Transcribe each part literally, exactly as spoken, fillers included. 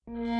Mir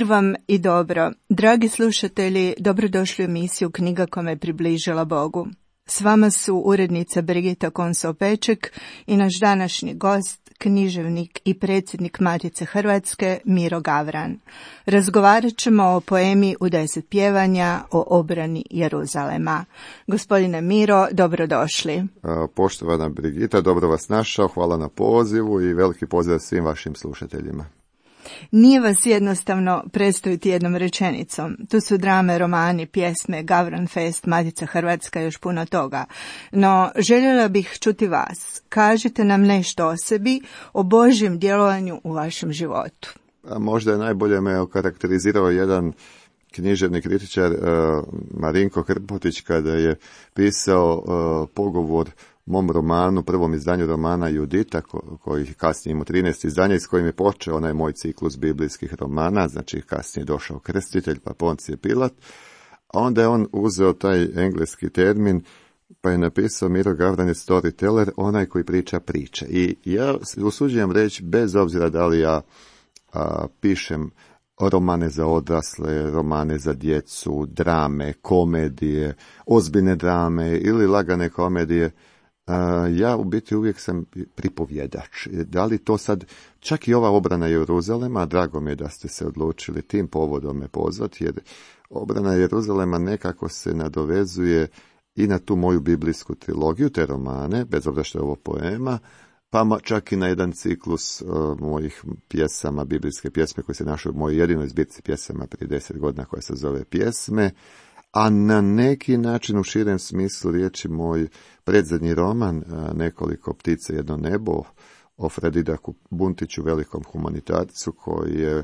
vam i dobro. Dragi slušatelji, dobrodošli u emisiju Knjiga koja me približila Bogu. S vama su urednica Brigita Konso-Peček i naš današnji gost, književnik i predsjednik Matice Hrvatske, Miro Gavran. Razgovarat ćemo o poemi U deset pjevanja o obrani Jeruzalema. Gospodine Miro, dobrodošli. Poštovana Brigita, dobro vas našao, hvala na pozivu i veliki pozdrav svim vašim slušateljima. Nije vas jednostavno predstaviti jednom rečenicom. Tu su drame, romani, pjesme, Gavran Fest, Matica Hrvatska i još puno toga. No, željela bih čuti vas. Kažite nam nešto o sebi, o Božjem djelovanju u vašem životu. A možda je najbolje me okarakterizirao jedan književni kritičar uh, Marinko Krpotić kada je pisao uh, pogovor mom romanu, prvom izdanju romana Judita, ko, koji kasnije imao trinaest izdanja, s kojim je počeo onaj moj ciklus biblijskih romana, znači kasnije je došao Krstitelj, pa Poncije Pilat, a onda je on uzeo taj engleski termin, pa je napisao Miro Gavran je storyteller, onaj koji priča priče. I ja usuđujem reći, bez obzira da li ja a, pišem romane za odrasle, romane za djecu, drame, komedije, ozbiljne drame ili lagane komedije, Uh, ja u biti uvijek sam pripovjedač. Da li to sad, čak i ova obrana Jeruzalema, drago mi je da ste se odlučili tim povodom me pozvati, jer obrana Jeruzalema nekako se nadovezuje i na tu moju biblijsku trilogiju, te romane, bez obzira što je ovo poema, pa čak i na jedan ciklus uh, mojih pjesama, biblijske pjesme koje se našao u mojoj jedinoj zbirci pjesama prije deset godina koja se zove Pjesme, a na neki način u širem smislu riječi moj predzadnji roman, Nekoliko ptica, jedno nebo, o Fredidaku Buntiću, velikom humanitarcu koji je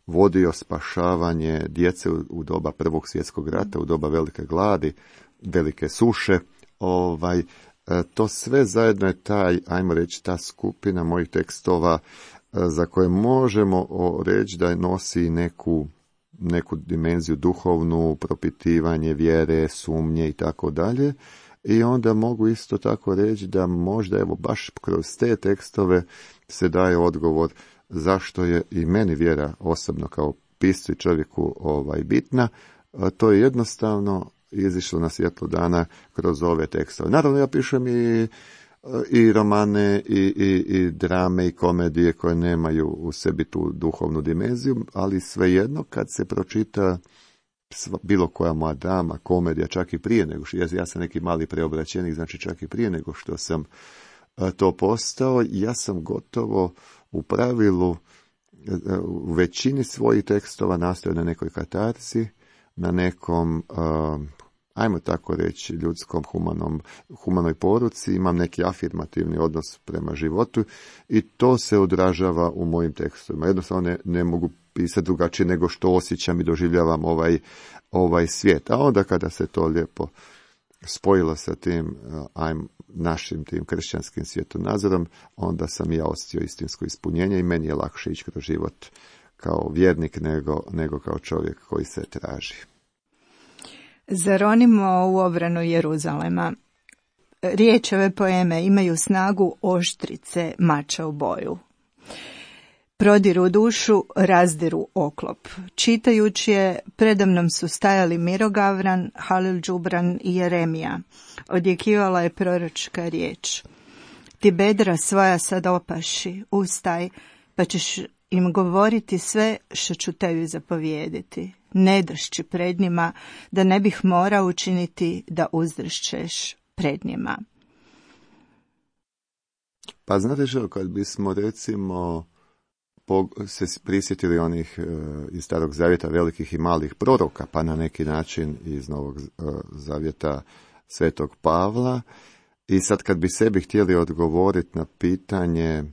vodio spašavanje djece u doba Prvog svjetskog rata, u doba velike gladi, velike suše. Ovaj, to sve zajedno je taj, ajmo reći, ta skupina mojih tekstova za koje možemo reći da nosi neku neku dimenziju duhovnu, propitivanje vjere, sumnje i tako dalje. I onda mogu isto tako reći da možda evo baš kroz te tekstove se daje odgovor zašto je i meni vjera osobno kao piscu i čovjeku ovaj, bitna. A to je jednostavno izišlo na svjetlo dana kroz ove tekstove. Naravno ja pišem i i romane, i, i, i drame, i komedije koje nemaju u sebi tu duhovnu dimenziju, ali svejedno kad se pročita bilo koja moja drama, komedija, čak i prije nego što, ja, ja sam neki mali preobraćenik, znači čak i prije nego što sam a, to postao, ja sam gotovo u pravilu u većini svojih tekstova nastojao na nekoj katarzi, na nekom a, ajmo tako reći, ljudskom humanom, humanoj poruci, imam neki afirmativni odnos prema životu i to se odražava u mojim tekstovima. Jednostavno ne, ne mogu pisati drugačije nego što osjećam i doživljavam ovaj, ovaj svijet. A onda kada se to lijepo spojilo sa tim ajmo, našim tim kršćanskim svjetonazorom, onda sam ja osjetio istinsko ispunjenje i meni je lakše ići kroz život kao vjernik nego, nego kao čovjek koji se traži. Zaronimo u obranu Jeruzalema. Riječi ove poeme imaju snagu oštrice mača u boju. Prodiru dušu, razdiru oklop. Čitajući je, predamnom su stajali Miro Gavran, Halil Džubran i Jeremija. Odjekivala je proročka riječ. Ti bedra svoja sad opaši, ustaj, pa ćeš im govoriti sve što ću tebi zapovijediti. Ne dršći pred njima, da ne bih morao učiniti da uzdršćeš pred njima. Pa znate što, kad bismo recimo se prisjetili onih iz Starog Zavjeta velikih i malih proroka, pa na neki način iz Novog Zavjeta Svetog Pavla, i sad kad bi sebi htjeli odgovoriti na pitanje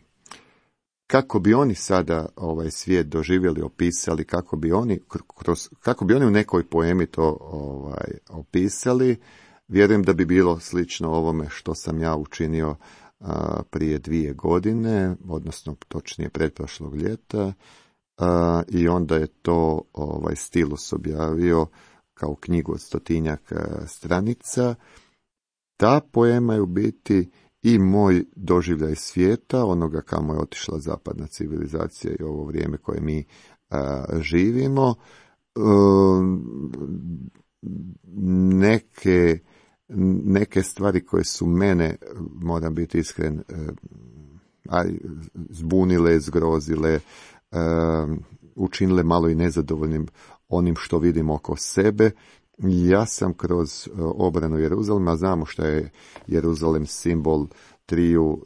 kako bi oni sada ovaj svijet doživjeli, opisali, kako bi oni, kroz, kako bi oni u nekoj poemi to ovaj, opisali, vjerujem da bi bilo slično ovome što sam ja učinio a, prije dvije godine, odnosno točnije pretprošlog ljeta, a, i onda je to ovaj, Stilus objavio kao knjigu od stotinjak stranica. Ta poema je u biti i moj doživljaj svijeta, onoga kamo je otišla zapadna civilizacija i ovo vrijeme koje mi a, živimo. E, neke, neke stvari koje su mene, moram biti iskren, a, zbunile, zgrozile, a, učinile malo i nezadovoljnim onim što vidim oko sebe. Ja sam kroz obranu Jeruzalema, znamo što je Jeruzalem simbol triju,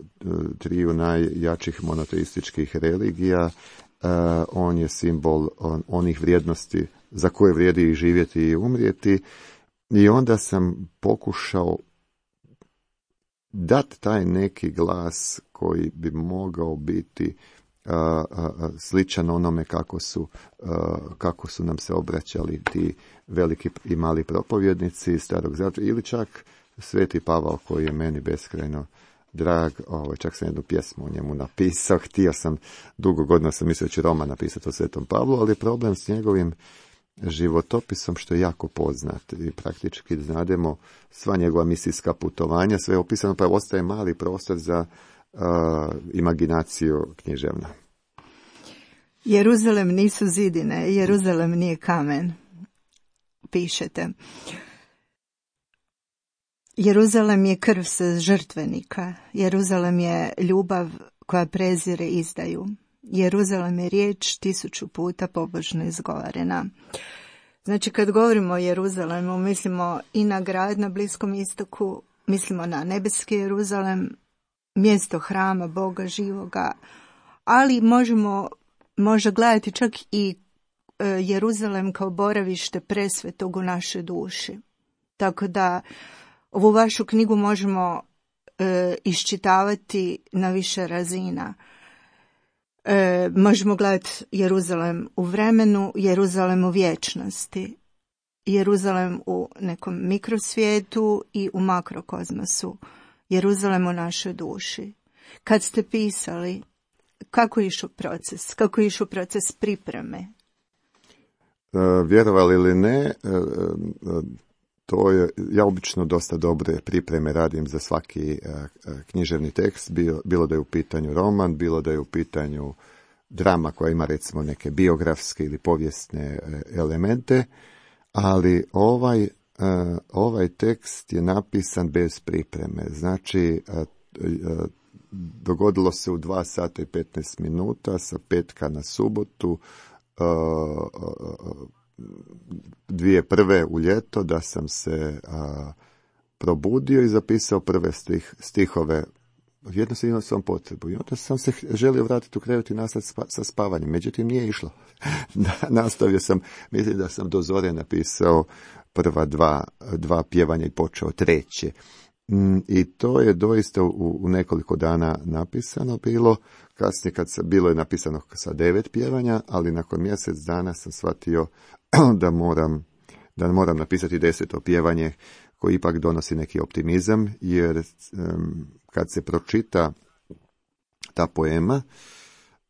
triju najjačih monoteističkih religija, on je simbol onih vrijednosti za koje vrijedi i živjeti i umrijeti, i onda sam pokušao dati taj neki glas koji bi mogao biti Uh, uh, sličan onome kako su, uh, kako su nam se obraćali ti veliki i mali propovjednici starog zavjeta, ili čak Sveti Pavao koji je meni beskrajno drag. Ovo, čak sam jednu pjesmu o njemu napisao, htio sam, dugo godina sam mislio da ću roman napisati o Svetom Pavlu, ali je problem s njegovim životopisom što je jako poznat i praktički znademo sva njegova misijska putovanja, sve je opisano, pa ostaje mali prostor za Uh, imaginaciju književna. Jeruzalem nisu zidine, Jeruzalem nije kamen, pišete. Jeruzalem je krv sa žrtvenika, Jeruzalem je ljubav koja prezire izdaju. Jeruzalem je riječ tisuću puta pobožno izgovorena. Znači, kad govorimo o Jeruzalemu, mislimo i na grad na Bliskom istoku, mislimo na nebeski Jeruzalem, mjesto hrama Boga živoga, ali možemo možda gledati čak i e, Jeruzalem kao boravište presvetog u našoj duši. Tako da ovu vašu knjigu možemo e, iščitavati na više razina. E, možemo gledati Jeruzalem u vremenu, Jeruzalem u vječnosti, Jeruzalem u nekom mikrosvijetu i u makrokozmosu. Jeruzalem u našoj duši. Kad ste pisali, kako je išao proces? Kako je išao proces pripreme? E, vjerovali ili ne, e, to je, ja obično dosta dobre pripreme radim za svaki e, književni tekst, bilo, bilo da je u pitanju roman, bilo da je u pitanju drama koja ima recimo neke biografske ili povijesne e, elemente, ali ovaj Uh, ovaj tekst je napisan bez pripreme. Znači, uh, uh, dogodilo se u dva sata i petnaest minuta sa petka na subotu, uh, uh, dvije prve u ljeto, da sam se uh, probudio i zapisao prve stih, stihove. Jednostavno imao sam potrebu i onda sam se želio vratiti u krevet i nastaviti spa, sa spavanjem. Međutim, nije išlo. Nastavio sam, mislim da sam do zore napisao prva dva, dva pjevanja i počeo treće. I to je doista u, u nekoliko dana napisano bilo. Kasnije kad se, bilo je napisano sa devet pjevanja, ali nakon mjesec dana sam shvatio da moram, da moram napisati deseto pjevanje, koji ipak donosi neki optimizam, jer um, kad se pročita ta poema,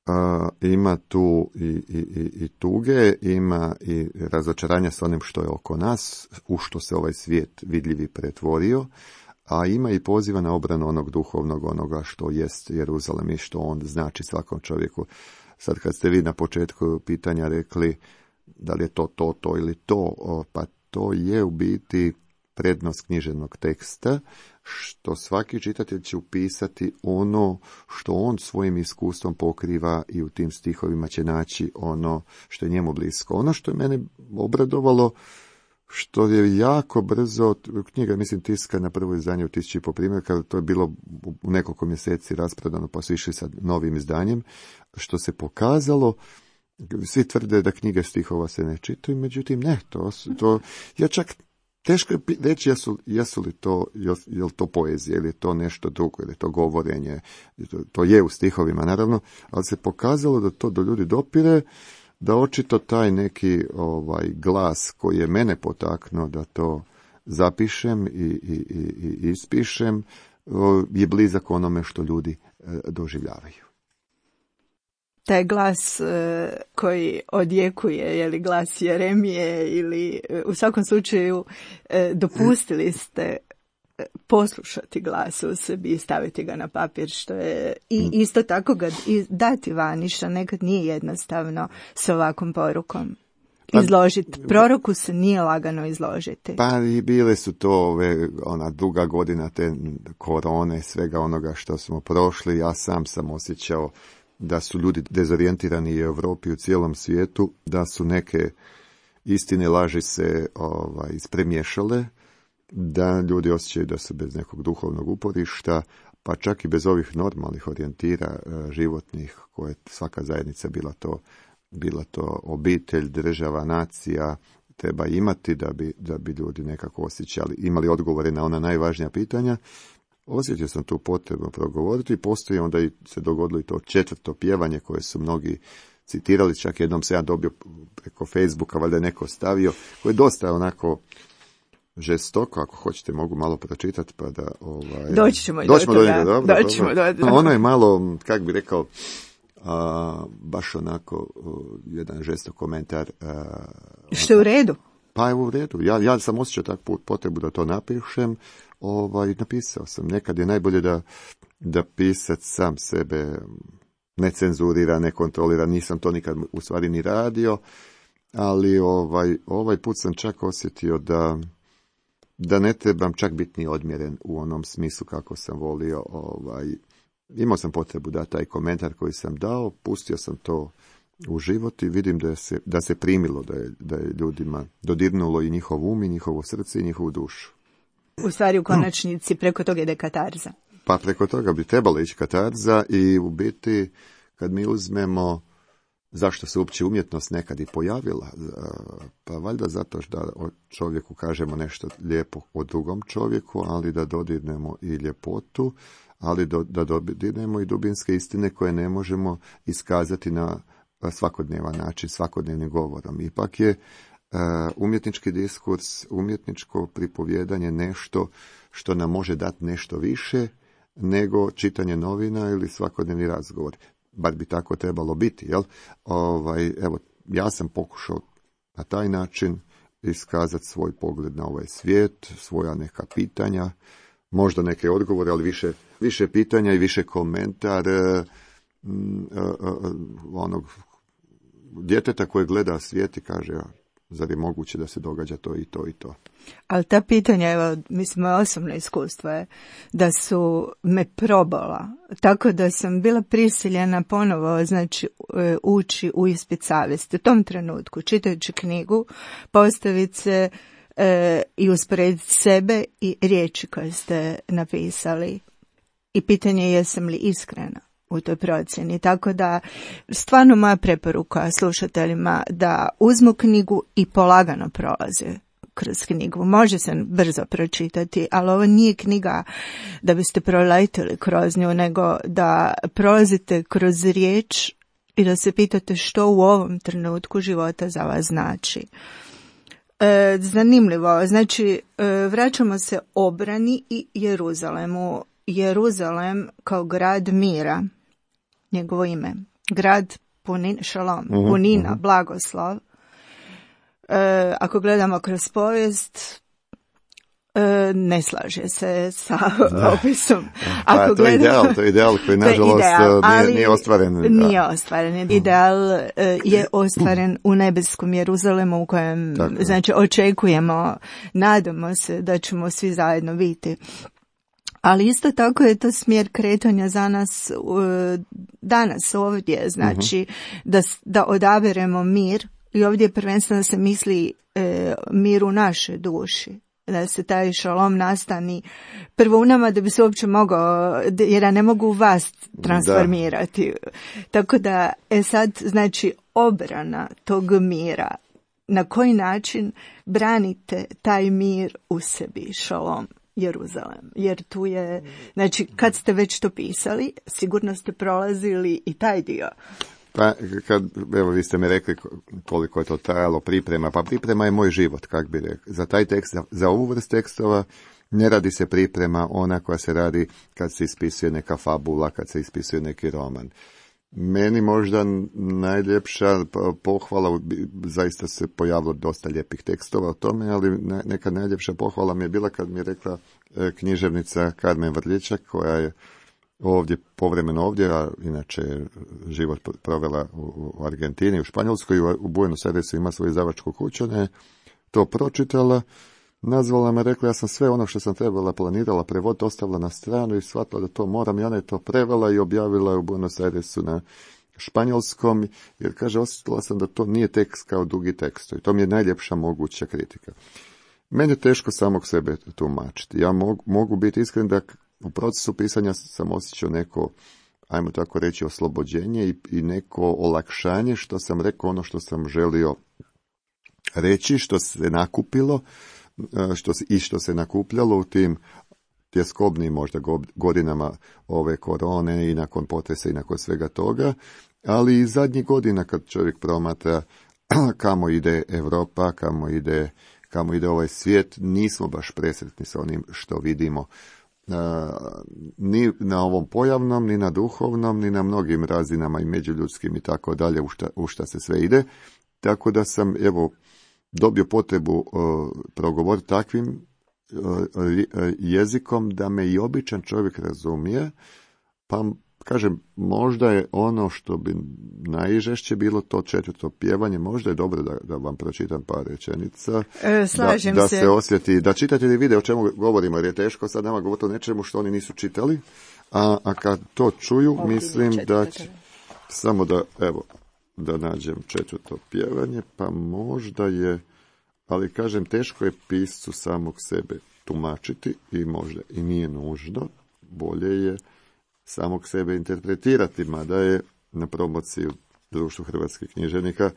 uh, ima tu i, i, i, i tuge, ima i razočaranja s onim što je oko nas, u što se ovaj svijet vidljivi pretvorio, a ima i poziva na obranu onog duhovnog, onoga što jest Jeruzalem i što on znači svakom čovjeku. Sad kad ste vi na početku pitanja rekli da li je to, to, to ili to, pa to je u biti prednost književnog teksta, što svaki čitatelj će upisati ono što on svojim iskustvom pokriva i u tim stihovima će naći ono što je njemu blisko. Ono što je mene obradovalo, što je jako brzo, knjiga mislim tiska na prvo izdanje u tisući i po primjerka, to je bilo u nekoliko mjeseci rasprodano, pa su išli sa novim izdanjem, što se pokazalo, svi tvrde da knjige stihova se ne čitaju, međutim ne, to, to ja čak teško je reći jesu, jesu li to, je li to poezija, ili je to nešto drugo, ili je to govorenje, to, to je u stihovima naravno, ali se pokazalo da to do ljudi dopire, da očito taj neki ovaj glas koji je mene potaknuo da to zapišem i, i, i, i ispišem, je blizak onome što ljudi doživljavaju. Taj glas e, koji odjekuje, je li glas Jeremije ili u svakom slučaju e, dopustili ste poslušati glas u sebi i staviti ga na papir, što je i isto tako ga dati vani, što nekad nije jednostavno s ovakvom porukom. Izložiti. Proroku se nije lagano izložiti. Pa i bile su to ove, ona duga godina te korone, svega onoga što smo prošli. Ja sam sam osjećao da su ljudi dezorijentirani i u Europi i u cijelom svijetu, da su neke istine laži se ovaj, ispremješale, da ljudi osjećaju da su bez nekog duhovnog uporišta, pa čak i bez ovih normalnih orijentira životnih, koje svaka zajednica bila to bila to obitelj, država, nacija, treba imati da bi, da bi ljudi nekako osjećali, imali odgovore na ona najvažnija pitanja. Osjetio sam tu potrebu progovoriti i postoji onda i se dogodilo i to četvrto pjevanje koje su mnogi citirali, čak jednom se ja dobio preko Facebooka, valjda je neko stavio, koje je dosta onako žestoko, ako hoćete mogu malo pročitati pa da... Ovaj, doći ćemo i do toga. Doći dobro, ćemo dobro. do Ono je malo, kako bi rekao, a, baš onako uh, jedan žestok komentar. Uh, Što je u redu? Pa je u redu. Ja, ja sam osjećao takvu potrebu da to napišem. Ovaj, napisao sam. Nekad je najbolje da, da pisac sam sebe ne cenzurira, ne kontrolira. Nisam to nikad u stvari ni radio, ali ovaj, ovaj put sam čak osjetio da, da ne trebam čak biti ni odmjeren u onom smislu kako sam volio. Ovaj, imao sam potrebu da taj komentar koji sam dao, pustio sam to u život i vidim da se, da se primilo, da je, da je ljudima dodirnulo i njihov um, i njihovo srce i njihovu dušu. U stvari u konačnici preko toga ide katarza. Pa preko toga bi trebalo ići katarza i u biti kad mi uzmemo zašto se uopće umjetnost nekad i pojavila, pa valjda zato da o čovjeku kažemo nešto lijepo o drugom čovjeku, ali da dodirnemo i ljepotu, ali do, da dodirnemo i dubinske istine koje ne možemo iskazati na svakodnevan način, svakodnevnim govorom. Ipak je uh, umjetnički diskurs, umjetničko pripovjedanje nešto što nam može dati nešto više nego čitanje novina ili svakodnevni razgovor. Bar bi tako trebalo biti, jel? Ovaj, evo, ja sam pokušao na taj način iskazati svoj pogled na ovaj svijet, svoja neka pitanja, možda neke odgovore, ali više, više pitanja i više komentare mm, onog djeteta koje gleda svijet i kaže, zar je moguće da se događa to i to i to. Ali ta pitanja, evo, mislim, moje osobno iskustvo je da su me probala, tako da sam bila prisiljena ponovo, znači, ući u ispit savjesti. U tom trenutku, čitajući knjigu, postaviti se e, i usporediti sebe i riječi koje ste napisali. I pitanje je jesam li iskrena u toj procjeni. Tako da, stvarno moja preporuka slušateljima da uzmu knjigu i polagano prolaze kroz knjigu. Može se brzo pročitati, ali ovo nije knjiga da biste proletili kroz nju, nego da prolazite kroz riječ i da se pitate što u ovom trenutku života za vas znači. E, zanimljivo, znači e, vraćamo se obrani i Jeruzalemu. Jeruzalem kao grad mira, njegovo ime, grad punin, šalom, uh-huh, punina, uh-huh. blagoslov. E, ako gledamo kroz povijest, e, ne slaže se sa da. opisom. Ako pa, to, je ideal, to je ideal koji nažalost ideal, nije, nije ostvaren. Nije ostvaren. Ideal e, je ostvaren u nebeskom Jeruzalemu u kojem Tako. znači očekujemo, nadamo se da ćemo svi zajedno biti. Ali isto tako je to smjer kretanja za nas danas ovdje, znači uh-huh. da, da odaberemo mir i ovdje prvenstveno se misli e, mir u našoj duši, da se taj šalom nastani prvo u nama da bi se uopće mogao, jer ja ne mogu vas transformirati. Da. Tako da, e sad, znači obrana tog mira na koji način branite taj mir u sebi, šalom, Jeruzalem. Jer tu je, znači, kad ste već to pisali, sigurno ste prolazili i taj dio. Pa, kad, evo, vi ste mi rekli koliko je to trajalo priprema, pa priprema je moj život, kak bi rekli. Za taj tekst, za, za ovu vrst tekstova, ne radi se priprema ona koja se radi kad se ispisuje neka fabula, kad se ispisuje neki roman. Meni možda najljepša pohvala, zaista se pojavilo dosta lijepih tekstova o tome, ali neka najljepša pohvala mi je bila kad mi je rekla književnica Karmen Vrljičak, koja je ovdje, povremeno ovdje, a inače život provela u Argentini, u Španjolskoj, u Buenos Airesu ima svoju izdavačku kuću, ona je to pročitala, nazvala me, rekla, ja sam sve ono što sam trebala, planirala prevoditi, ostavila na stranu i shvatila da to moram, i ona je to prevela i objavila u Buenos Airesu na španjolskom, jer kaže, osjetila sam da to nije tekst kao dugi tekst, i to mi je najljepša moguća kritika. Meni je teško samog sebe tumačiti. Ja mogu, mogu biti iskren da u procesu pisanja sam osjećao neko, ajmo tako reći, oslobođenje i, i neko olakšanje što sam rekao ono što sam želio reći, što se nakupilo, što se, i što se nakupljalo u tim tjeskobnim možda godinama ove korone i nakon potresa i nakon svega toga, ali i zadnjih godina kad čovjek promatra kamo ide Europa, kamo ide, kamo ide ovaj svijet, nismo baš presretni sa onim što vidimo. Uh, ni na ovom pojavnom, ni na duhovnom, ni na mnogim razinama i međuljudskim i tako dalje, u šta, u šta se sve ide. Tako da sam, evo, dobio potrebu uh, progovoriti takvim uh, jezikom da me i običan čovjek razumije, pa kažem, možda je ono što bi najžešće bilo to četvrto pjevanje, možda je dobro da, da vam pročitam par rečenica, e, slažem da, da se. se osjeti, da čitate vide o čemu govorimo, jer je teško sad nama govoriti o nečemu što oni nisu čitali, a, a kad to čuju, Ovdje mislim da će, samo da, evo, da nađem četvrto pjevanje, pa možda je, ali kažem, teško je piscu samog sebe tumačiti i možda i nije nužno, bolje je samog sebe interpretirati, mada je na promociji u Društvu hrvatskih književnika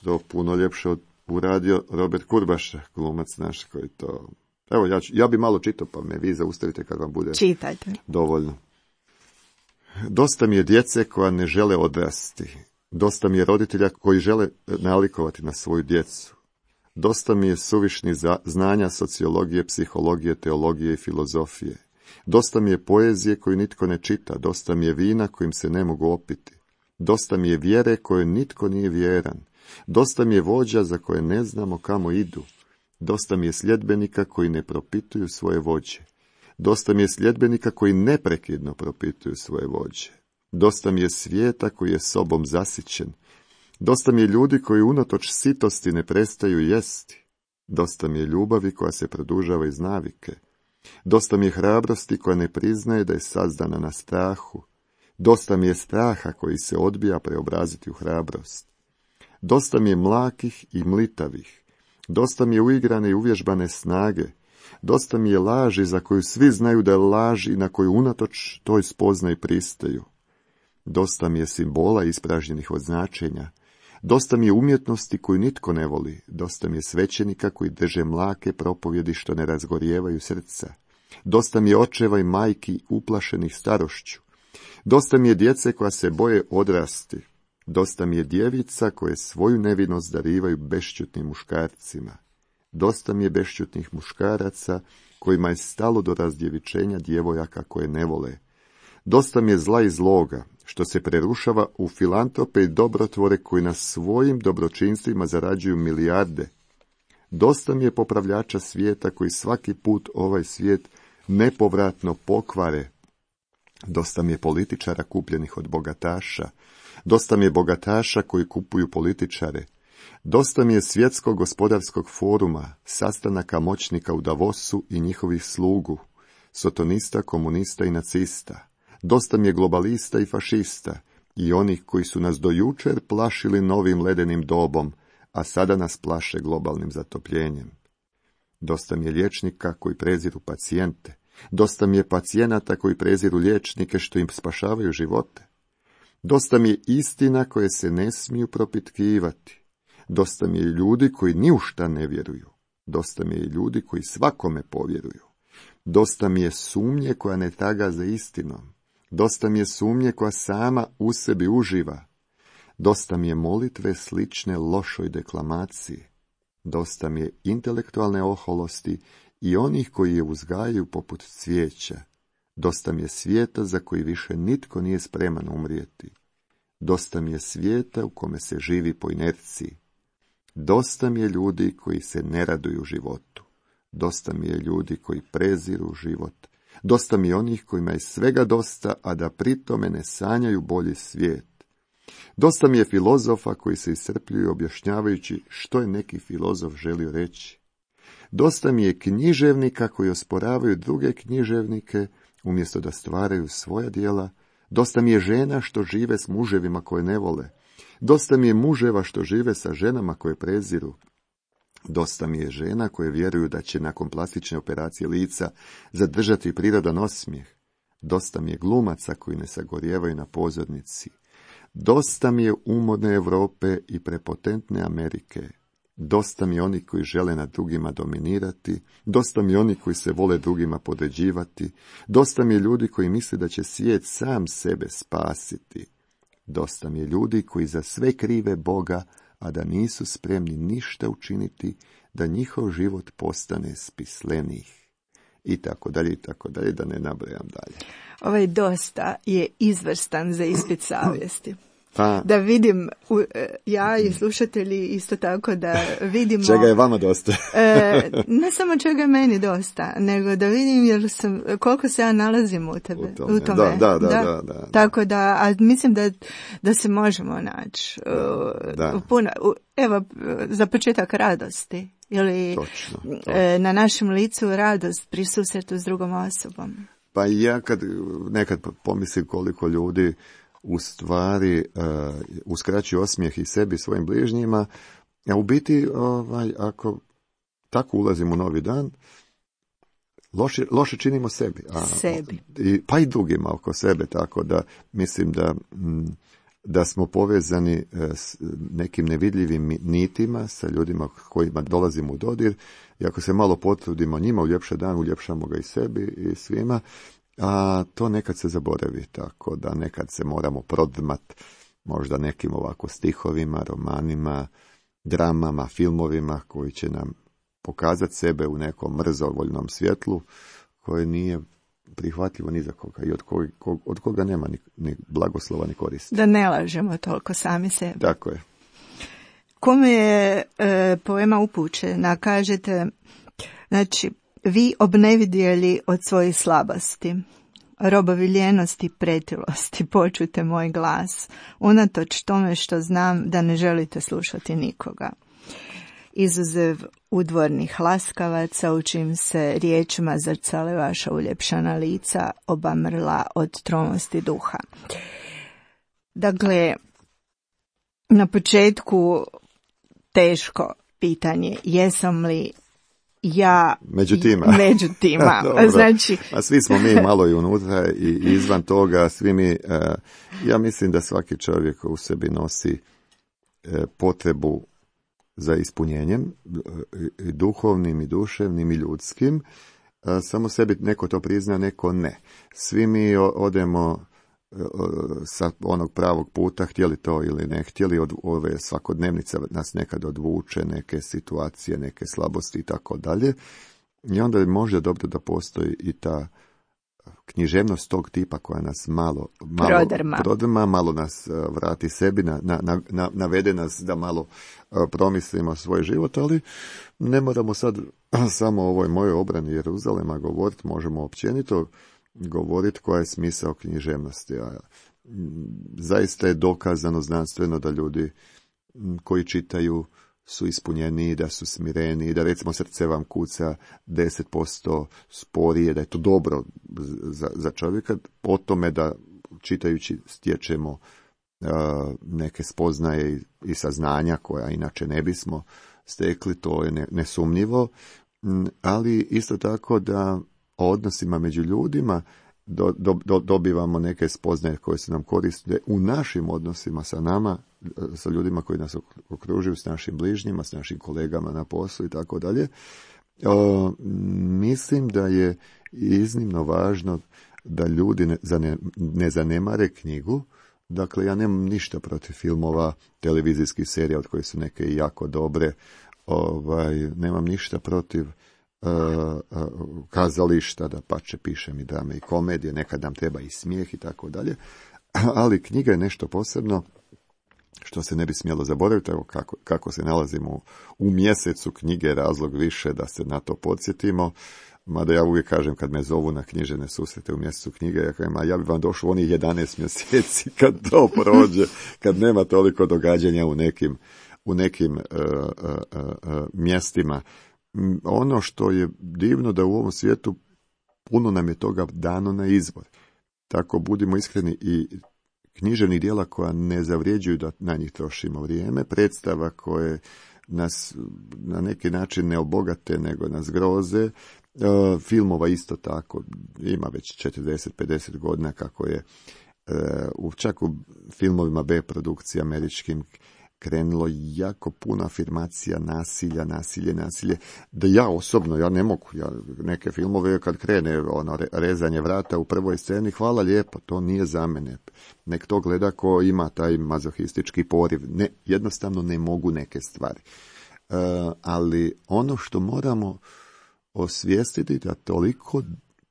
to puno ljepše uradio Robert Kurbaša, glumac naš koji to... Evo, ja, ću, ja bi malo čitao, pa me vi zaustavite kad vam bude Čitajte. Dovoljno. Dosta mi je djece koja ne žele odrasti. Dosta mi je roditelja koji žele nalikovati na svoju djecu. Dosta mi je suvišnih znanja sociologije, psihologije, teologije i filozofije. Dosta mi je poezije koju nitko ne čita, dosta mi je vina kojim se ne mogu opiti. Dosta mi je vjere koje nitko nije vjeran. Dosta mi je vođa za koje ne znamo kamo idu. Dosta mi je sljedbenika koji ne propituju svoje vođe. Dosta mi je sljedbenika koji neprekidno propituju svoje vođe. Dosta mi je svijeta koji je sobom zasićen. Dosta mi je ljudi koji unatoč sitosti ne prestaju jesti. Dosta mi je ljubavi koja se produžava iz navike. Dosta mi je hrabrosti koja ne priznaje da je sazdana na strahu. Dosta mi je straha koji se odbija preobraziti u hrabrost. Dosta mi je mlakih i mlitavih. Dosta mi je uigrane i uvježbane snage. Dosta mi je laži za koju svi znaju da je laž i na koju unatoč toj spoznaji pristaju. Dosta mi je simbola ispražnjenih od značenja. Dosta mi je umjetnosti koju nitko ne voli. Dosta mi je svećenika koji drže mlake propovjedi što ne razgorijevaju srca. Dosta mi je očeva i majki uplašenih starošću. Dosta mi je djece koja se boje odrasti. Dosta mi je djevica koje svoju nevinost darivaju bešćutnim muškarcima. Dosta mi je bešćutnih muškaraca kojima je stalo do razdjevičenja djevojaka koje ne vole. Dosta mi je zla i zloga, što se prerušava u filantrope i dobrotvore koji na svojim dobročinstvima zarađuju milijarde. Dosta mi je popravljača svijeta koji svaki put ovaj svijet nepovratno pokvare. Dosta mi je političara kupljenih od bogataša. Dosta mi je bogataša koji kupuju političare. Dosta mi je svjetskog gospodarskog foruma, sastanaka moćnika u Davosu i njihovih slugu, sotonista, komunista i nacista. Dosta mi je globalista i fašista i onih koji su nas do jučer plašili novim ledenim dobom, a sada nas plaše globalnim zatopljenjem. Dosta mi je liječnika koji preziru pacijente. Dosta mi je pacijenata koji preziru liječnike što im spašavaju živote. Dosta mi je istina koje se ne smiju propitkivati. Dosta mi je ljudi koji ni u šta ne vjeruju. Dosta mi je ljudi koji svakome povjeruju. Dosta mi je sumnje koja ne traga za istinom. Dosta mi je sumnje koja sama u sebi uživa. Dosta mi je molitve slične lošoj deklamaciji. Dosta mi je intelektualne oholosti i onih koji je uzgajaju poput cvijeća. Dosta mi je svijeta za koji više nitko nije spreman umrijeti. Dosta mi je svijeta u kome se živi po inerciji. Dosta mi je ljudi koji se ne raduju životu. Dosta mi je ljudi koji preziru život. Dosta mi je onih kojima je svega dosta, a da pritome ne sanjaju bolji svijet. Dosta mi je filozofa koji se iscrpljuju objašnjavajući što je neki filozof želio reći. Dosta mi je književnika koji osporavaju druge književnike umjesto da stvaraju svoja djela. Dosta mi je žena što žive s muževima koje ne vole. Dosta mi je muževa što žive sa ženama koje preziru. Dosta mi je žena koje vjeruju da će nakon plastične operacije lica zadržati prirodan osmijeh. Dosta mi je glumaca koji ne sagorijevaju na pozornici. Dosta mi je umodne Europe i prepotentne Amerike. Dosta mi je oni koji žele nad drugima dominirati. Dosta mi je oni koji se vole drugima podređivati. Dosta mi je ljudi koji misle da će svijet sam sebe spasiti. Dosta mi je ljudi koji za sve krive Boga, a da nisu spremni ništa učiniti da njihov život postane spislenih. I tako dalje, i tako dalje, da ne nabrajam dalje. Ovaj dosta je izvrstan za ispit savjesti. Pa, da vidim, ja i slušatelji isto tako da vidimo... Čega je vama dosta? e, ne samo čega je meni dosta, nego da vidim jer sam, koliko se ja nalazim u tebe. U tome. U tome. Da, da, da, da, da, da. Tako da, a mislim da, da se možemo naći. Da. U puno, u, evo, za početak radosti. Ili točno, točno. E, na našem licu radost pri susretu s drugom osobom. Pa ja kad nekad pomislim koliko ljudi u stvari uh, uskraćuju osmijeh i sebi i svojim bližnjima, a u biti ovaj, ako tako ulazimo u novi dan, loše, loše činimo sebi. A, sebi. I, pa i drugima oko sebe, tako da mislim da, da smo povezani s nekim nevidljivim nitima sa ljudima kojima dolazimo u dodir i ako se malo potrudimo njima uljepša dan, uljepšamo ga i sebi i svima. A to nekad se zaboravi, tako da nekad se moramo prodrmat možda nekim ovako stihovima, romanima, dramama, filmovima koji će nam pokazati sebe u nekom mrzovoljnom svjetlu koje nije prihvatljivo ni za koga i od koga, od koga nema ni, ni blagoslova ni koristi. Da ne lažemo toliko sami sebi. Tako je. Kome je e, poema upućena, kažete, znači, vi obnevidjeli od svojih slabosti, robovi ljenosti, pretilosti, počujte moj glas, unatoč tome što znam da ne želite slušati nikoga. Izuzev udvornih laskavaca, u čim se riječima zrcale vaša uljepšana lica, obamrla od tromosti duha. Dakle, na početku teško pitanje, jesam li ja među tima. Među tima. Znači, a svi smo mi malo i unutra i izvan toga, svi mi, ja mislim da svaki čovjek u sebi nosi potrebu za ispunjenjem, i duhovnim i duševnim i ljudskim, samo sebi neko to prizna, neko ne. Svi mi odemo sa onog pravog puta, htjeli to ili ne htjeli, od ove svakodnevnice nas nekad odvuče, neke situacije, neke slabosti i tako dalje. I onda je možda dobro da postoji i ta književnost tog tipa koja nas malo, malo prodrma. prodrma, malo nas vrati sebi, na, na, na, navede nas da malo promislimo svoj život, ali ne moramo sad samo o ovoj mojoj obrani Jeruzalema govoriti, možemo općenito govoriti koja je smisao književnosti. A zaista je dokazano znanstveno da ljudi koji čitaju su ispunjeniji, da su smireniji, da recimo srce vam kuca deset posto sporije, da je to dobro za, za čovjeka, po tome da čitajući stječemo uh, neke spoznaje i, i saznanja koja inače ne bismo stekli, to je ne, nesumnjivo, ali isto tako da o odnosima među ljudima do, do, do, dobivamo neke spoznaje koje su nam koriste u našim odnosima sa nama sa ljudima koji nas okružuju, s našim bližnjima, s našim kolegama na poslu i tako dalje. Mislim da je iznimno važno da ljudi ne, zane, ne zanemare knjigu. Dakle, ja nemam ništa protiv filmova, televizijskih serija, od kojih su neke i jako dobre. Ovaj, nemam ništa protiv uh, uh, kazališta, da pače pišem i drame i komedije, nekad nam treba i smijeh i tako dalje. Ali knjiga je nešto posebno što se ne bi smjelo zaboraviti, evo kako, kako se nalazimo u mjesecu knjige, razlog više da se na to podsjetimo. Mada ja uvijek kažem kad me zovu na književne susrete u mjesecu knjige, ja kažem, a ja bi vam došao onih jedanaest mjeseci kad to prođe, kad nema toliko događanja u nekim, u nekim uh, uh, uh, mjestima. Ono što je divno da u ovom svijetu puno nam je toga dano na izbor. Tako budimo iskreni, i književnih djela koja ne zavrijeđuju da na njih trošimo vrijeme, predstava koje nas na neki način ne obogate nego nas groze, Uh, filmova isto tako, ima već četrdeset pedeset godina kako je uh, čak u filmovima B produkcije američkim krenulo jako puno afirmacija nasilja, nasilje, nasilje, da ja osobno, ja ne mogu, ja neke filmove kad krene ono rezanje vrata u prvoj sceni, hvala lijepo, to nije za mene, nek to gleda ko ima taj mazohistički poriv, ne, jednostavno ne mogu neke stvari. Uh, ali ono što moramo osvijestiti da toliko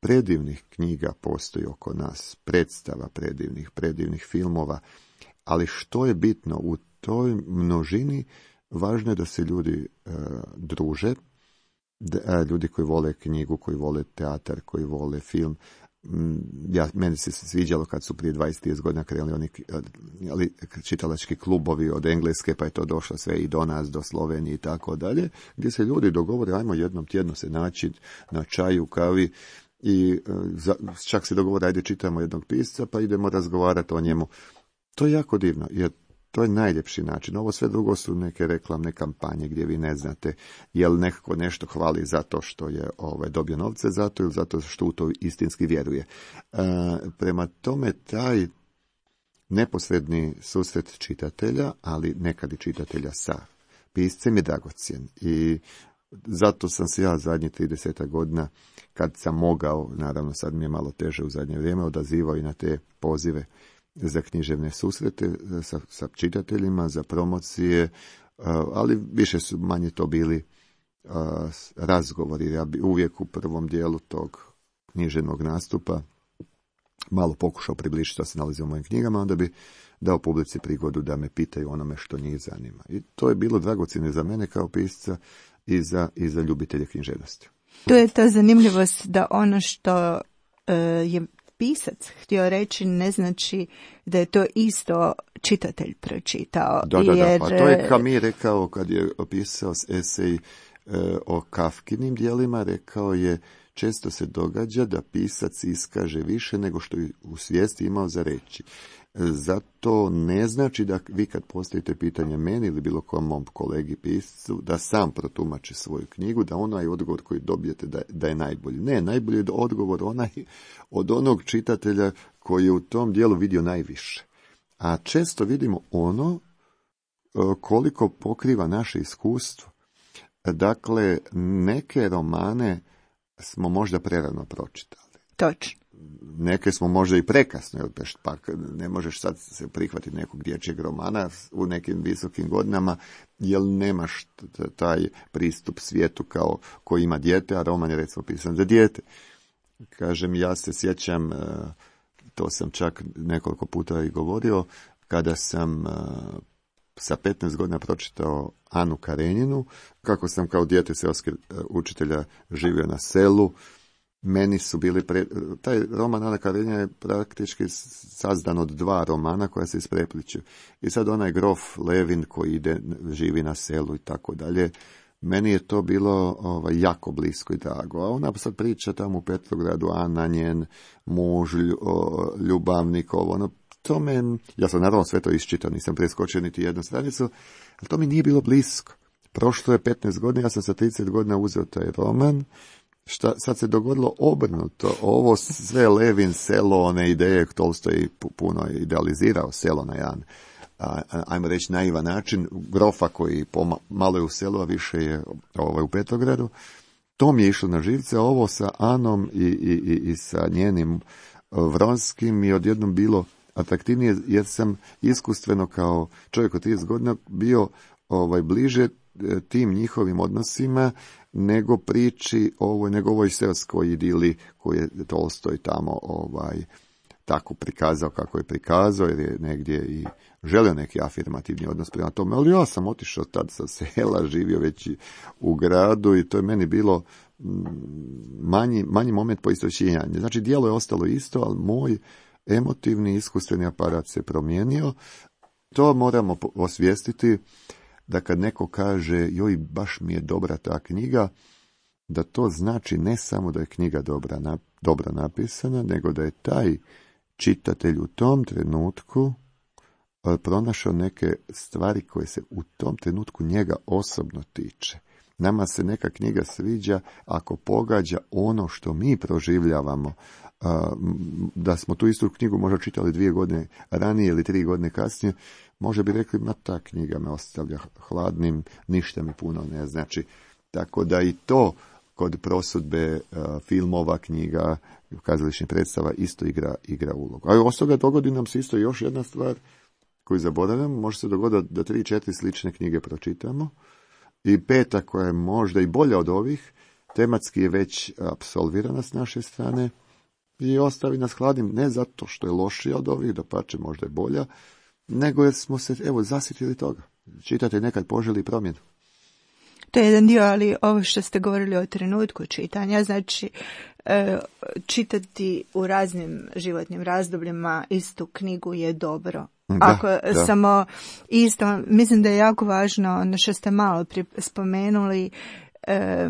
predivnih knjiga postoji oko nas, predstava predivnih, predivnih filmova, ali što je bitno u toj množini, važno je da se ljudi e, druže, da, ljudi koji vole knjigu, koji vole teatar, koji vole film. Ja, meni se sviđalo kad su prije dvadeset trideset godina krenuli oni ali, čitalački klubovi od Engleske, pa je to došlo sve i do nas, do Slovenije i tako dalje, gdje se ljudi dogovore, ajmo jednom tjedno se naći na čaju, kavi i za, čak se dogovore, ajde čitamo jednog pisca pa idemo razgovarati o njemu. To je jako divno, jer to je najljepši način. Ovo sve drugo su neke reklamne kampanje gdje vi ne znate je li nekako nešto hvali zato što je ovaj, dobio novce za to ili zato što u to istinski vjeruje. E, prema tome taj neposredni susret čitatelja, ali nekad i čitatelja sa piscem je dragocjen. I zato sam se ja zadnjih trideset godina, kad sam mogao, naravno sad mi je malo teže u zadnje vrijeme, odazivao i na te pozive za književne susrete sa, sa čitateljima, za promocije, ali više su manje to bili razgovori. Ja bi uvijek u prvom dijelu tog književnog nastupa malo pokušao približiti što se nalazi u mojim knjigama, onda bi dao publici prigodu da me pitaju onome što njih zanima. I to je bilo dragocjeno za mene kao pisca i za, i za ljubitelje književnosti. Tu je ta zanimljivost da ono što uh, je pisac htio reći ne znači da je to isto čitatelj pročitao. Da, da, jer... da, pa to je Camus rekao kad je opisao esej e, o Kafkinim dijelima, rekao je često se događa da pisac iskaže više nego što je u svijesti imao za reći. Zato ne znači da vi kad postavite pitanje meni ili bilo kom mom kolegi piscu, da sam protumači svoju knjigu, da onaj odgovor koji dobijete da, da je najbolji. Ne, najbolji je odgovor onaj od onog čitatelja koji je u tom dijelu vidio najviše. A često vidimo ono koliko pokriva naše iskustvo. Dakle, neke romane smo možda prerano pročitali. Točno. Neke smo možda i prekasno, jer pa ne možeš sad se prihvatiti nekog dječjeg romana u nekim visokim godinama, jer nemaš taj pristup svijetu kao koji ima dijete, a roman je recimo pisan za dijete. Kažem, ja se sjećam, to sam čak nekoliko puta i govorio, kada sam sa petnaest godina pročitao Anu Karenjinu, kako sam kao dijete seoskog učitelja živio na selu. Meni su bili, pre... taj roman Ana Karenjina je praktički sazdan od dva romana koja se isprepliču. I sad onaj grof Levin koji ide, živi na selu i tako dalje, meni je to bilo ovaj, jako blisko i drago. A ona sad priča tamo u Petrogradu, Ana, njen muž, ljubavnik, ovo, ono, to me, ja sam naravno sve to iščitao, nisam preskočio niti jednu stranicu, ali to mi nije bilo blisko. Prošlo je petnaest godina, ja sam sa trideset godina uzeo taj roman. Šta sad se dogodilo obrnuto, ovo sve Levin, selo, one ideje, Tolstoj puno idealizirao selo na jedan ajmo reći, naivan način, grofa koji poma, malo je u selu, a više je ovaj, u Petrogradu. To mi je išlo na živce, a ovo sa Anom i, i, i, i sa njenim Vronskim mi je odjednom bilo atraktivnije, jer sam iskustveno kao čovjek od trideset godina bio ovaj, bliže tim njihovim odnosima nego priči ovoj, nego ovoj seoskoj idili koju je Tolstoj tamo ovaj, tako prikazao kako je prikazao, jer je negdje i želio neki afirmativni odnos prema tome, ali ja sam otišao tad sa sela, živio već u gradu i to je meni bilo manji, manji moment poistovećenja. Znači, djelo je ostalo isto, ali moj emotivni, iskustveni aparat se promijenio. To moramo osvijestiti, da kad neko kaže, joj, baš mi je dobra ta knjiga, da to znači ne samo da je knjiga dobra, na, dobro napisana, nego da je taj čitatelj u tom trenutku pronašao neke stvari koje se u tom trenutku njega osobno tiče. Nama se neka knjiga sviđa ako pogađa ono što mi proživljavamo. Da smo tu istu knjigu možda čitali dvije godine ranije ili tri godine kasnije, može bi rekli, ma ta knjiga me ostavlja hladnim, ništa mi puno ne znači. Tako da i to kod prosudbe filmova, knjiga, kazališnih predstava isto igra, igra ulogu. A od toga dogodi nam se isto još jedna stvar koju zaboravljamo. Može se dogoditi da tri, četiri slične knjige pročitamo i peta koja je možda i bolja od ovih, tematski je već apsolvirana s naše strane i ostavi nas hladnim, ne zato što je lošija od ovih, dapače možda je bolja, nego jer smo se, evo, zasjetili toga. Čitate nekad poželi promjenu. To je jedan dio, ali ovo što ste govorili o trenutku čitanja, znači e, čitati u raznim životnim razdobljima istu knjigu je dobro. Da, Ako da. samo isto, mislim da je jako važno, ono što ste malo spomenuli, e,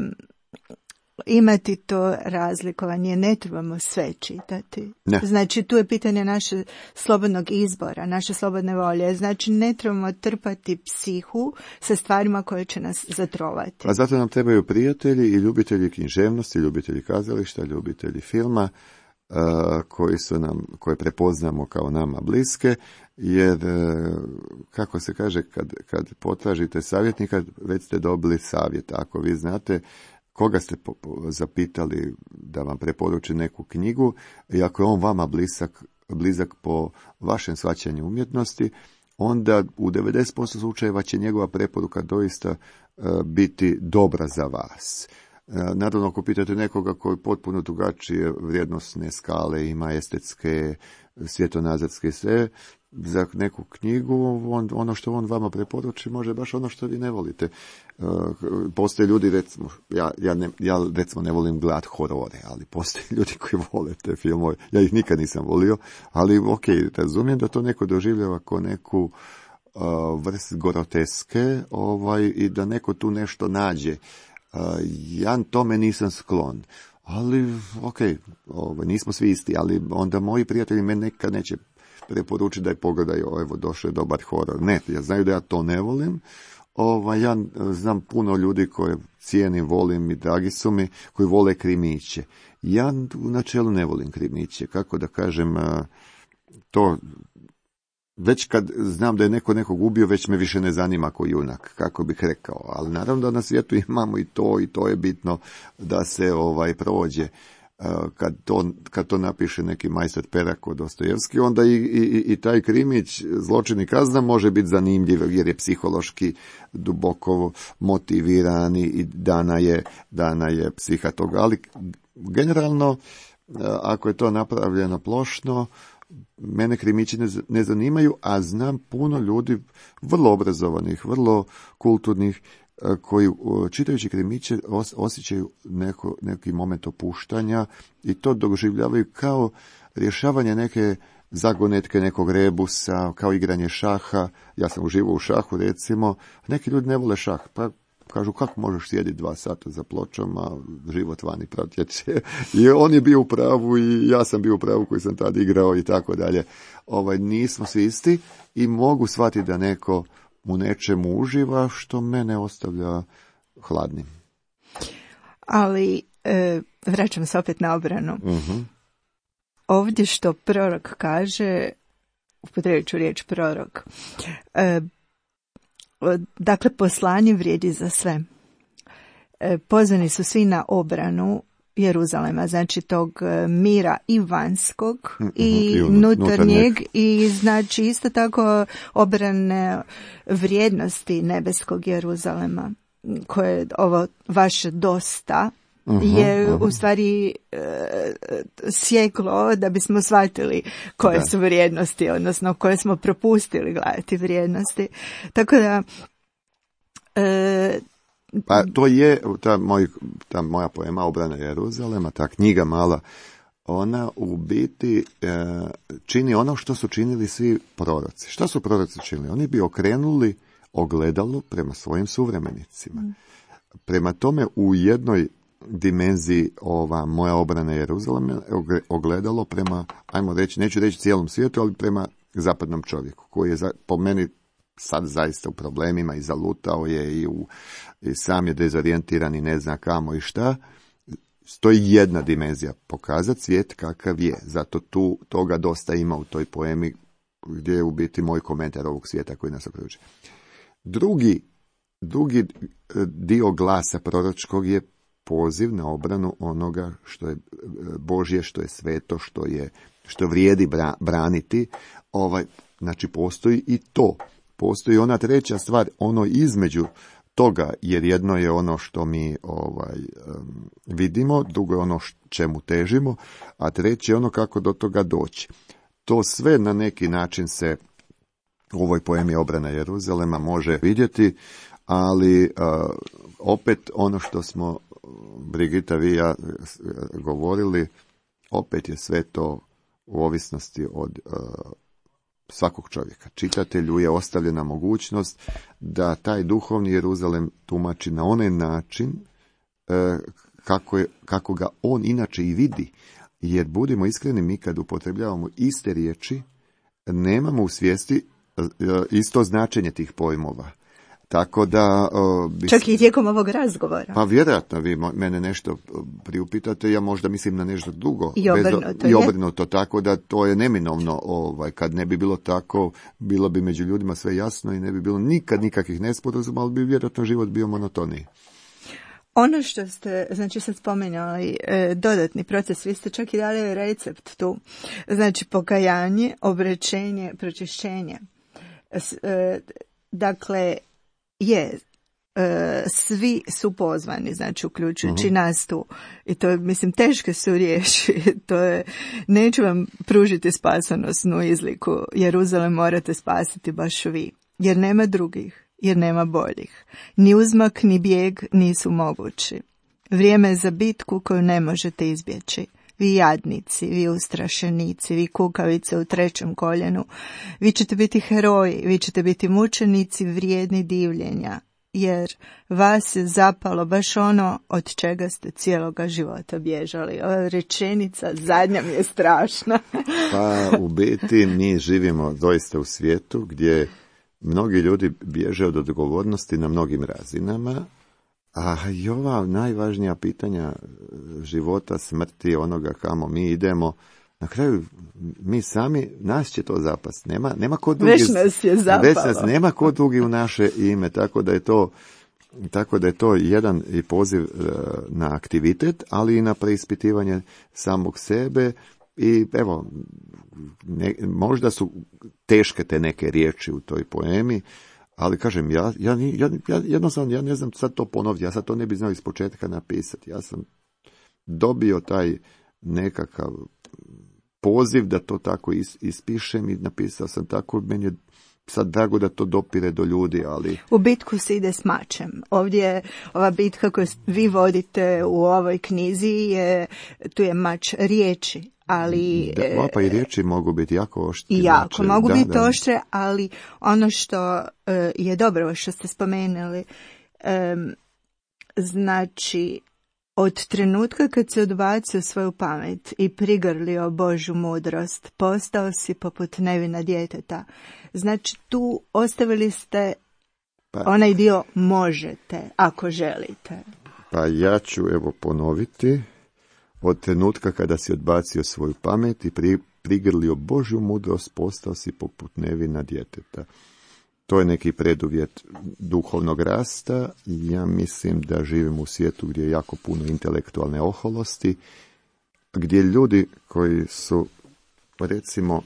imati to razlikovanje, ne trebamo sve čitati. Ne. Znači, tu je pitanje naše slobodnog izbora, naše slobodne volje. Znači, ne trebamo trpati psihu sa stvarima koje će nas zatrovati. A zato nam trebaju prijatelji i ljubitelji književnosti, ljubitelji kazališta, ljubitelji filma, uh, koji su nam, koje prepoznamo kao nama bliske, jer, uh, kako se kaže, kad, kad potražite savjetnika, već ste dobili savjet. Ako vi znate koga ste zapitali da vam preporuči neku knjigu i ako je on vama blizak, blizak po vašem shvaćanju umjetnosti, onda u devedeset posto slučajeva će njegova preporuka doista uh, biti dobra za vas. Uh, naravno, ako pitate nekoga koji potpuno drugačije vrijednosne skale ima, estetske, svjetonazorske, sve, za neku knjigu, on, ono što on vama preporuči može baš ono što vi ne volite. Uh, postoje ljudi, recimo, ja, ja, ne, ja recimo ne volim gledat horore, ali postoje ljudi koji vole te filmove. Ja ih nikad nisam volio, ali ok, razumijem da to neko doživljava kao neku uh, vrst groteske, ovaj, i da neko tu nešto nađe. Uh, ja tome nisam sklon. Ali, ok, ovaj, nismo svi isti, ali onda moji prijatelji me nekad neće preporuči da je pogledaju, evo, došao je dobar horor. Ne, ja znaju da ja to ne volim. Ova, ja znam puno ljudi koje cijenim, volim i dragi su mi, koji vole krimiće. Ja u načelu ne volim krimiće. Kako da kažem, to već kad znam da je neko nekog ubio, već me više ne zanima ko junak, kako bih rekao. Ali naravno da na svijetu imamo i to, i to je bitno da se ovaj prođe. Kad to, kad to napiše neki majstor Perako Dostojevski, onda i, i, i taj krimić, zločin i kazna, može biti zanimljiv jer je psihološki duboko motiviran i dana je, dana je psiha toga. Ali generalno, ako je to napravljeno plošno, mene krimići ne, ne zanimaju, a znam puno ljudi, vrlo obrazovanih, vrlo kulturnih, koji čitajući krimiće osjećaju neko, neki moment opuštanja i to doživljavaju kao rješavanje neke zagonetke, nekog rebusa, kao igranje šaha. Ja sam uživao u šahu, recimo. Neki ljudi ne vole šah, pa kažu, kako možeš sjediti dva sata za pločama, život vani protječe. I on je bio u pravu i ja sam bio u pravu koji sam tada igrao i tako dalje. Ovaj, nismo svi isti i mogu shvatiti da neko u nečemu uživa što mene ostavlja hladnim. Ali, e, vraćam se opet na obranu. Uh-huh. Ovdje što prorok kaže, upotrijebit ću riječ prorok. E, dakle, poslanje vrijedi za sve. E, pozvani su svi na obranu Jeruzalema, znači tog mira i vanjskog mm-hmm, i, i unutarnjeg i znači isto tako obrane vrijednosti nebeskog Jeruzalema, koje ovo vaše dosta uh-huh, je uh-huh. u stvari e, sjeklo da bismo shvatili koje da. su vrijednosti, odnosno koje smo propustili gledati vrijednosti. Tako da e, pa to je ta, moj, ta moja poema Obrana Jeruzalema, ta knjiga mala, ona u biti e, čini ono što su činili svi proroci. Šta su proroci činili? Oni bi okrenuli ogledalo prema svojim suvremenicima. Mm. Prema tome u jednoj dimenziji ova moja obrana Jeruzalema ogledalo prema, ajmo reći, neću reći cijelom svijetu, ali prema zapadnom čovjeku, koji je za, po meni sad zaista u problemima i zalutao je i, u, i sam je dezorijentiran i ne zna kamo i šta. To je jedna dimenzija, pokazati svijet kakav je. Zato tu toga dosta ima u toj poemi gdje je u biti moj komentar ovog svijeta koji nas okružuje. Drugi, drugi dio glasa proročkog je poziv na obranu onoga što je Božje, što je sveto, što je što vrijedi bra, braniti. Ovaj, znači postoji i to. Postoji ona treća stvar, ono između toga, jer jedno je ono što mi ovaj um, vidimo, drugo je ono čemu težimo, a treće je ono kako do toga doći. To sve na neki način se u ovoj poemi Obrana Jeruzalema može vidjeti, ali uh, opet ono što smo Brigita, vi i ja govorili, opet je sve to u ovisnosti od uh, svakog čovjeka. Čitatelju je ostavljena mogućnost da taj duhovni Jeruzalem tumači na onaj način uh, kako, je, kako ga on inače i vidi. Jer budimo iskreni, mi kad upotrebljavamo iste riječi, nemamo u svijesti uh, isto značenje tih pojmova. Tako da... Uh, bis... Čak i tijekom ovog razgovora. Pa vjerojatno vi mene nešto priupitate, ja možda mislim na nešto drugo. I obrnuto. Bez, I obrnuto, tako da to je neminovno. Ovaj, kad ne bi bilo tako, bilo bi među ljudima sve jasno i ne bi bilo nikad nikakvih nesporazuma, ali bi vjerojatno život bio monotoniji. Ono što ste, znači sad spomenuli, e, dodatni proces, vi ste čak i dali recept tu. Znači pokajanje, obraćenje, pročišćenje. S, e, dakle, je, e, svi su pozvani, znači uključujući uh-huh. nas tu. I to je, mislim, teške su riječi. To je, neću vam pružiti spasonosnu izliku. Jeruzalem morate spasiti baš vi. Jer nema drugih, jer nema boljih. Ni uzmak, ni bijeg nisu mogući. Vrijeme je za bitku koju ne možete izbjeći. Vi jadnici, vi ustrašenici, vi kukavice u trećem koljenu. Vi ćete biti heroji, vi ćete biti mučenici vrijedni divljenja, jer vas je zapalo baš ono od čega ste cijeloga života bježali. Ova rečenica zadnja mi je strašna. Pa u biti mi živimo doista u svijetu gdje mnogi ljudi bježe od odgovornosti na mnogim razinama, a i ova najvažnija pitanja života, smrti, onoga kamo mi idemo, na kraju mi sami, nas će to zapast. Nema, nema ko drugi, već nas je zapalo. Već nas nema ko drugi u naše ime, tako da je to, tako da je to jedan i poziv na aktivitet, ali i na preispitivanje samog sebe. I evo, ne, možda su teške te neke riječi u toj poemi, ali kažem, ja, ja, ja, ja jednostavno, ja ne znam sad to ponoviti, ja sad to ne bi znao iz početka napisati. Ja sam dobio taj nekakav poziv da to tako is, ispišem i napisao sam tako, meni je sad drago da to dopire do ljudi, ali... U bitku se ide s mačem. Ovdje ova bitka koju vi vodite u ovoj knjizi, je, tu je mač riječi. Ali, da, pa i riječi mogu biti jako oštre. I jako znači, mogu da, biti da. oštre, ali ono što uh, je dobro što ste spomenuli, um, znači od trenutka kad si odbacio svoju pamet i prigrlio Božju mudrost, postao si poput nevina djeteta. Znači tu ostavili ste pa, onaj dio možete, ako želite. Pa ja ću evo ponoviti. Od trenutka kada si odbacio svoju pamet i pri, prigrlio Božju mudrost, postao si poput nevina djeteta. To je neki preduvjet duhovnog rasta. Ja mislim da živimo u svijetu gdje je jako puno intelektualne oholosti, gdje ljudi koji su, recimo,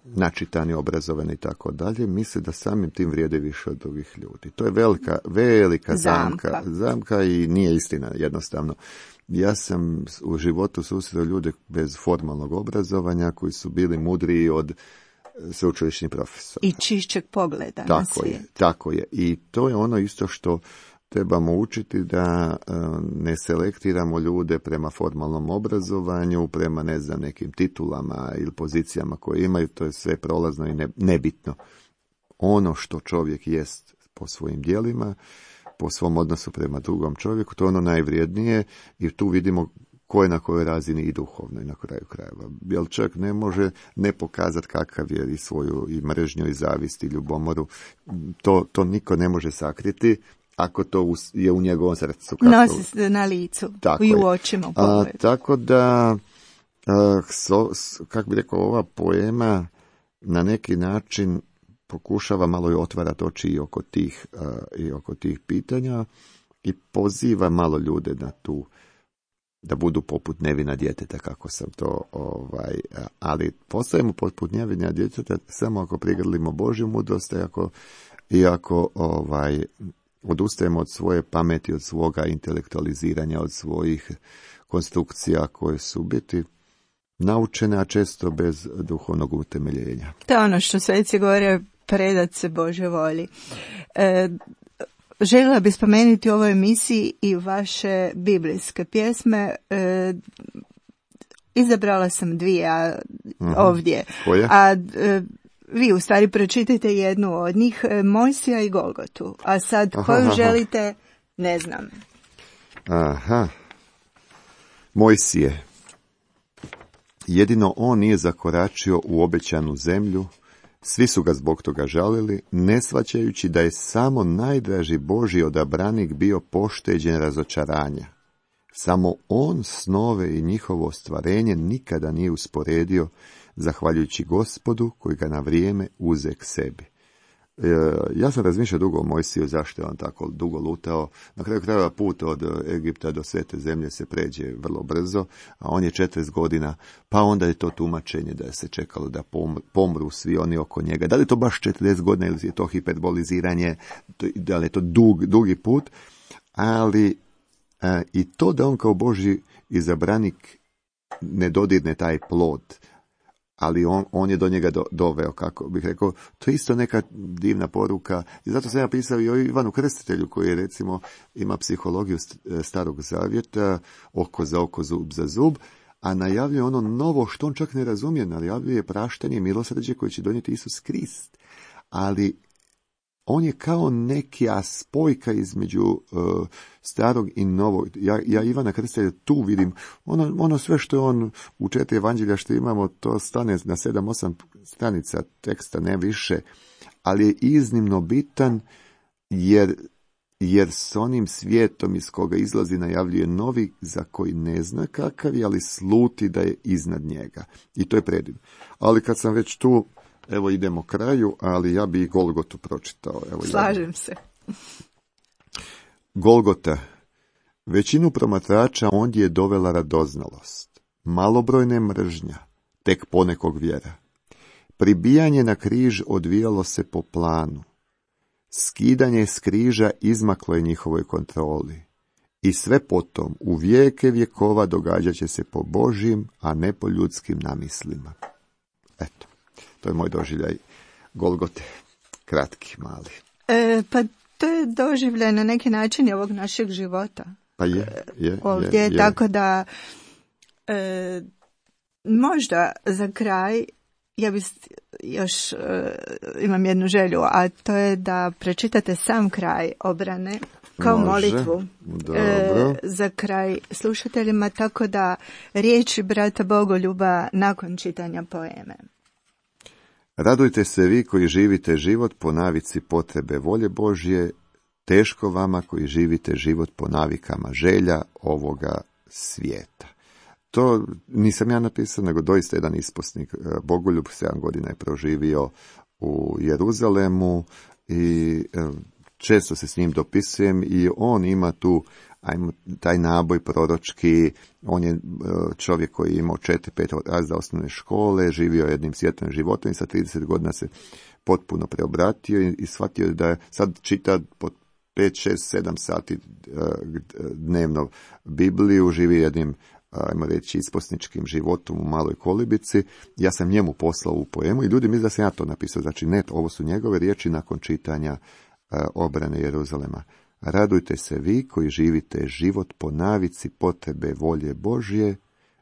načitani, obrazovani i tako dalje, misle da samim tim vrijede više od drugih ljudi. To je velika, velika zamka. Zamka, zamka i nije istina, jednostavno. Ja sam u životu susreo ljude bez formalnog obrazovanja koji su bili mudriji od sveučilišnih profesora. I čišćeg pogleda tako na svijet. Je, tako je. I to je ono isto što trebamo učiti, da uh, ne selektiramo ljude prema formalnom obrazovanju, prema, ne znam, nekim titulama ili pozicijama koje imaju. To je sve prolazno i ne, nebitno. Ono što čovjek jest po svojim djelima, po svom odnosu prema drugom čovjeku, to je ono najvrijednije i tu vidimo ko je na kojoj razini i duhovno i na kraju krajeva. Jer čovjek ne može ne pokazati kakav je i svoju i mržnju i zavist i ljubomoru. To, to niko ne može sakriti ako to je u njegovom srcu. Kako... Nosi se na licu tako i u očima. U a, tako da, a, so, kako bi rekao, ova poema na neki način pokušava malo i otvarati oči i oko tih, uh, i oko tih pitanja i poziva malo ljude na tu, da budu poput nevina djeteta, kako sam to, ovaj, ali postajemo poput nevina djeteta samo ako prigrlimo Božju mudrost, ako, i ako ovaj, odustajemo od svoje pameti, od svoga intelektualiziranja, od svojih konstrukcija koje su biti naučene, a često bez duhovnog utemeljenja. To je ono što sveci govore, predat se Božoj volji. E, željela bih spomenuti u ovoj emisiji i vaše biblijske pjesme. E, izabrala sam dvije a, uh-huh. ovdje. Koje? A e, vi u stvari pročitajte jednu od njih, Mojsija i Golgotu. A sad aha, koju aha. želite, ne znam. Aha. Mojsije. Jedino on nije zakoračio u obećanu zemlju, svi su ga zbog toga žalili, ne shvaćajući da je samo najdraži Božji odabranik bio pošteđen razočaranja. Samo on snove i njihovo ostvarenje nikada nije usporedio, zahvaljujući Gospodu koji ga na vrijeme uze k sebi. E, ja sam razmišljao dugo o Mojsiju, zašto je on tako dugo lutao. Na kraju krajeva put od Egipta do Svete zemlje se pređe vrlo brzo, a on je četrdeset godina, pa onda je to tumačenje da se čekalo da pomru svi oni oko njega. Da li je to baš četrdeset godina ili je to hiperboliziranje, da li je to dug, dugi put, ali a, i to da on kao Božji izabranik ne dodirne taj plod, ali on, on je do njega do, doveo, kako bih rekao, to je isto neka divna poruka. I zato sam ja pisao i o Ivanu Krstitelju, koji je, recimo, ima psihologiju Starog Zavjeta, oko za oko, zub za zub, a najavljuje ono novo što on čak ne razumije, najavljuje praštanje i milosrđe koje će donijeti Isus Krist. Ali on je kao neka spojka između uh, starog i novog. Ja, ja Ivana Krstitelja tu vidim, ono, ono sve što je on u četiri evanđelja što imamo, to stane na sedam, osam stranica teksta, ne više, ali je iznimno bitan jer, jer s onim svijetom iz koga izlazi najavljuje novi, za koji ne zna kakav je, ali sluti da je iznad njega. I to je predivno. Ali kad sam već tu, evo idemo kraju, ali ja bi i Golgotu pročitao. Evo, slažem ja. se. Golgota. Većinu promatrača ondje je dovela radoznalost, malobrojne mržnja, tek ponekog vjera. Pribijanje na križ odvijalo se po planu. Skidanje s križa izmaklo je njihovoj kontroli. I sve potom, u vijeke vjekova, događat će se po Božjim, a ne po ljudskim namislima. Eto. To je moj doživljaj Golgote, kratki, mali. E, pa to je doživljaj na neki način ovog našeg života. Pa je, je, ovdje, je, je. Tako da e, možda za kraj ja bih još e, imam jednu želju, a to je da pročitate sam kraj obrane kao Može. molitvu e, za kraj slušateljima, tako da riječi brata Bogoljuba nakon čitanja poeme. Radujte se vi koji živite život po navici potrebe volje Božje, teško vama koji živite život po navikama želja ovoga svijeta. to nisam ja napisao, nego doista jedan isposnik. Bogoljub sedam godina je proživio u Jeruzalemu i često se s njim dopisujem i on ima tu ajmo, taj naboj proročki. On je čovjek koji je imao četiri, pet razreda osnovne škole, živio jednim svjetlim životom i sa trideset godina se potpuno preobratio i, i shvatio da je sad čita po pet, šest, sedam sati dnevno Bibliju, živi jednim, ajmo reći, isposničkim životom u maloj kolibici. Ja sam njemu poslao u poemu i ljudi misle da sam ja to napisao. Znači, ne, ovo su njegove riječi nakon čitanja uh, obrane Jeruzalema. Radujte se vi koji živite život po navici potrebe volje Božje,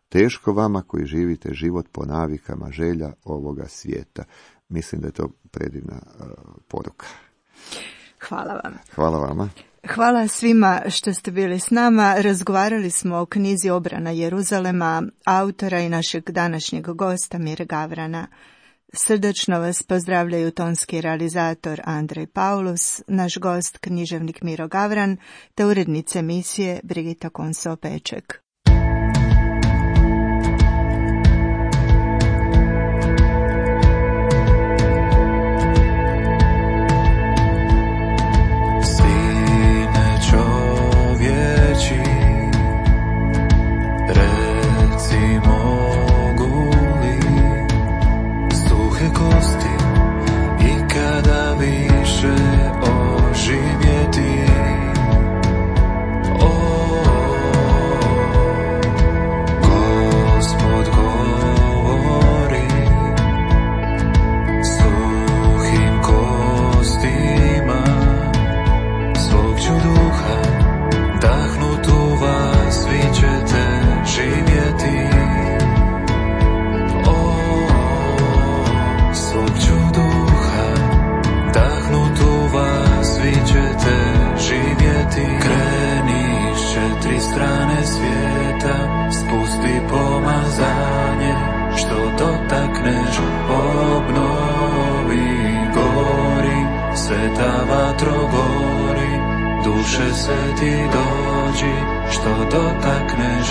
teško vama koji živite život po navikama želja ovoga svijeta. Mislim da je to predivna uh, poruka. Hvala vam. Hvala vama. Hvala svima što ste bili s nama. Razgovarali smo o knjizi Obrana Jeruzalema, autora i našeg današnjeg gosta Mire Gavrana. Srdačno vas pozdravljaju tonski realizator Andrej Paulus, naš gost književnik Miro Gavran, te urednica emisije Brigita Konso-Peček. Duše se ti dođi, što dotakneš,